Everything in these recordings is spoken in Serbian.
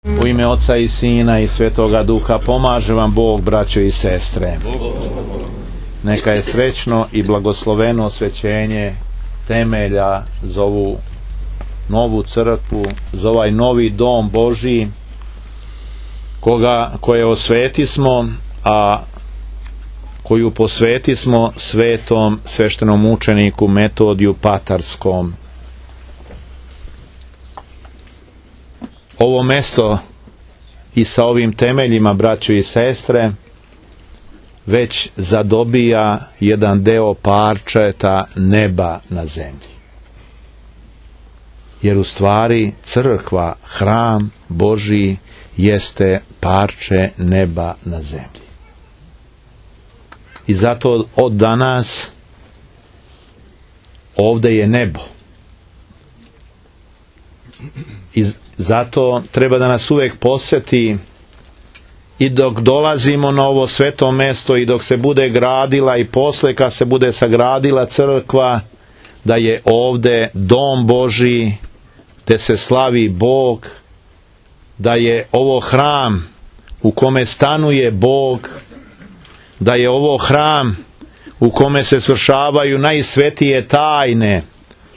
U ime Oca i Sina i Svetoga Duha pomaže vam Bog, braćo i sestre. Neka je srećno i blagosloveno osvećenje temelja za ovu novu crkvu, za ovaj novi dom Božji koje osvetismo, a koju posvetismo svetom sveštenom učeniku Metodiju Patarskom. Ovo mesto i sa ovim temeljima, braćo i sestre, već zadobija jedan deo parčeta neba na zemlji. Jer u stvari crkva, hram Božji, jeste parče neba na zemlji. I zato od danas ovdje je nebo. I zato treba da nas uvijek posjeti i dok dolazimo na ovo sveto mesto i dok se bude gradila i posle kad se bude sagradila crkva, da je ovdje dom Božji gdje se slavi Bog, da je ovo hram u kome stanuje Bog, da je ovo hram u kome se svršavaju najsvetije tajne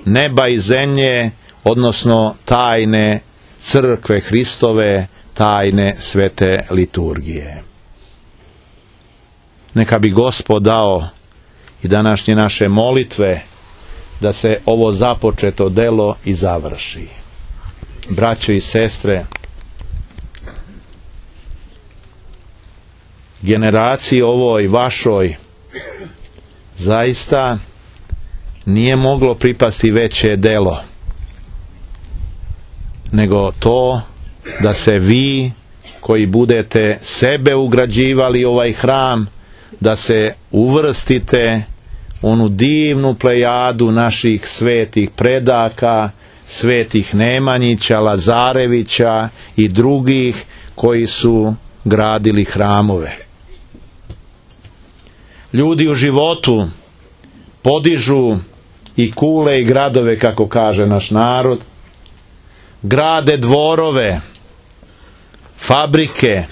neba i zemlje, odnosno tajne crkve Hristove, tajne svete liturgije. Neka bi Gospod dao i današnje naše molitve da se ovo započeto delo i završi. Braćo i sestre, generaciji ovoj vašoj zaista nije moglo pripasti veće delo nego to da se vi koji budete sebe ugrađivali ovaj hram, da se uvrstite onu divnu plejadu naših svetih predaka, svetih Nemanjića, Lazarevića i drugih koji su gradili hramove. Ljudi u životu podižu i kule i gradove, kako kaže naš narod, grade dvorove, fabrike,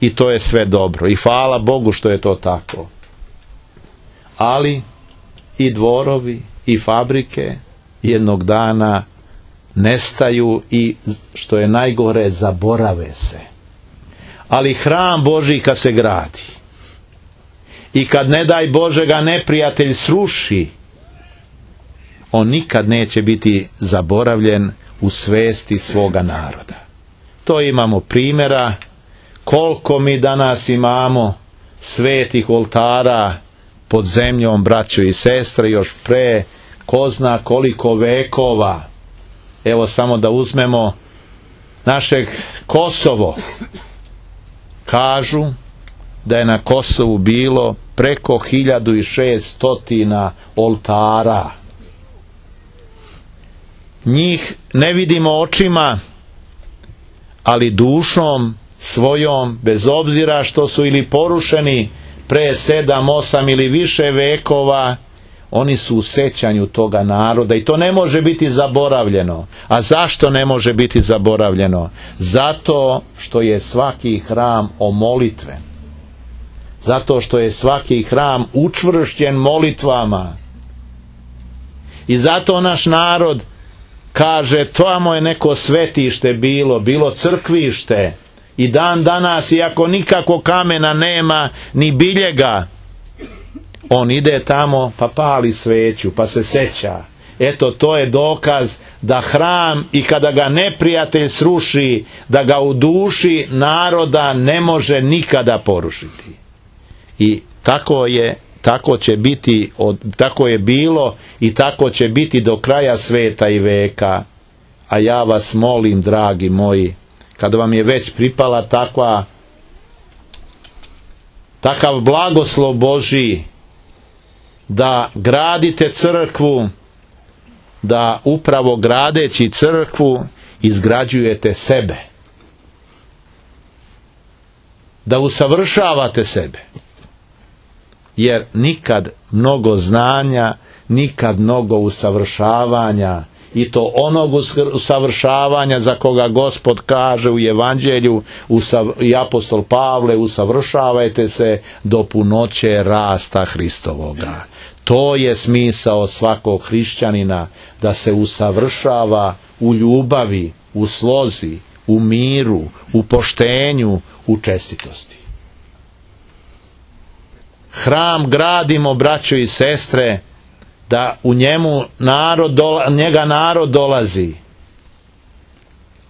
i to je sve dobro. I hvala Bogu što je to tako. Ali i dvorovi i fabrike jednog dana nestaju i, što je najgore, zaborave se. Ali hram Božji kad se gradi i kad, ne daj Bože, ga neprijatelj sruši, on nikad neće biti zaboravljen u svesti svoga naroda. To imamo primjera koliko mi danas imamo svetih oltara pod zemljom, braćo i sestre, još pre ko zna koliko vekova. Evo samo da uzmemo našeg Kosovo. Kažu da je na Kosovu bilo preko 1600 oltara. Njih ne vidimo očima, ali dušom svojom, bez obzira što su ili porušeni pre 7, 8 ili više vekova, oni su u sećanju toga naroda i to ne može biti zaboravljeno. A zašto ne može biti zaboravljeno? Zato što je svaki hram omolitven. Zato što je svaki hram učvršćen molitvama. I zato naš narod kaže, tamo je neko svetište bilo crkvište. I dan danas, iako nikako kamena nema, ni biljega, on ide tamo pa pali sveću, pa se seća. Eto, to je dokaz da hram, i kada ga neprijatelj sruši, da ga u duši naroda ne može nikada porušiti. I tako će biti, tako je bilo i tako će biti do kraja sveta i veka. A ja vas molim, dragi moji, kada vam je već pripala takav blagoslov Božji da gradite crkvu, da upravo gradeći crkvu izgrađujete sebe, da usavršavate sebe, jer nikad mnogo znanja, nikad mnogo usavršavanja i to onog usavršavanja za koga Gospod kaže u Evanđelju i apostol Pavle, usavršavajte se do punoće rasta Hristovoga. To je smisao svakog hrišćanina, da se usavršava u ljubavi, u slozi, u miru, u poštenju, u čestitosti. Hram gradimo, braćo i sestre, da u njemu njega narod dolazi.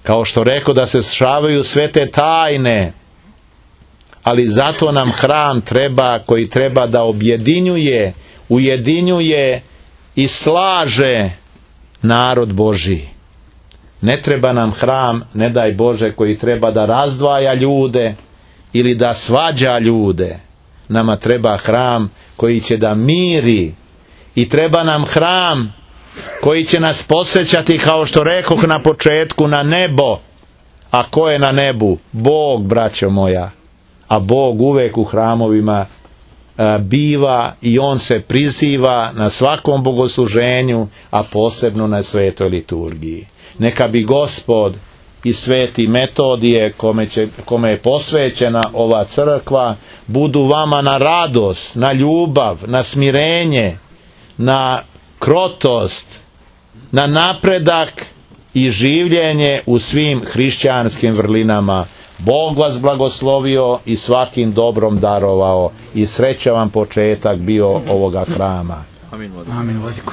Kao što rekao, da se svršavaju sve te tajne, ali zato nam hram treba, koji treba da ujedinjuje i slaže narod Božji. Ne treba nam hram, ne daj Bože, koji treba da razdvaja ljude ili da svađa ljude. Nama treba hram koji će da miri, i treba nam hram koji će nas podsjećati, kao što rekoh na početku, na nebo. A ko je na nebu? Bog, braćo moja. A Bog uvek u hramovima biva i on se priziva na svakom bogosluženju, a posebno na svetoj liturgiji. Neka bi Gospod i sveti Metodije, kome je posvećena ova crkva, budu vama na radost, na ljubav, na smirenje, na krotost, na napredak i življenje u svim hrišćanskim vrlinama. Bog vas blagoslovio i svakim dobrom darovao, i sreća vam početak bio ovoga hrama. Amin, Vladiko.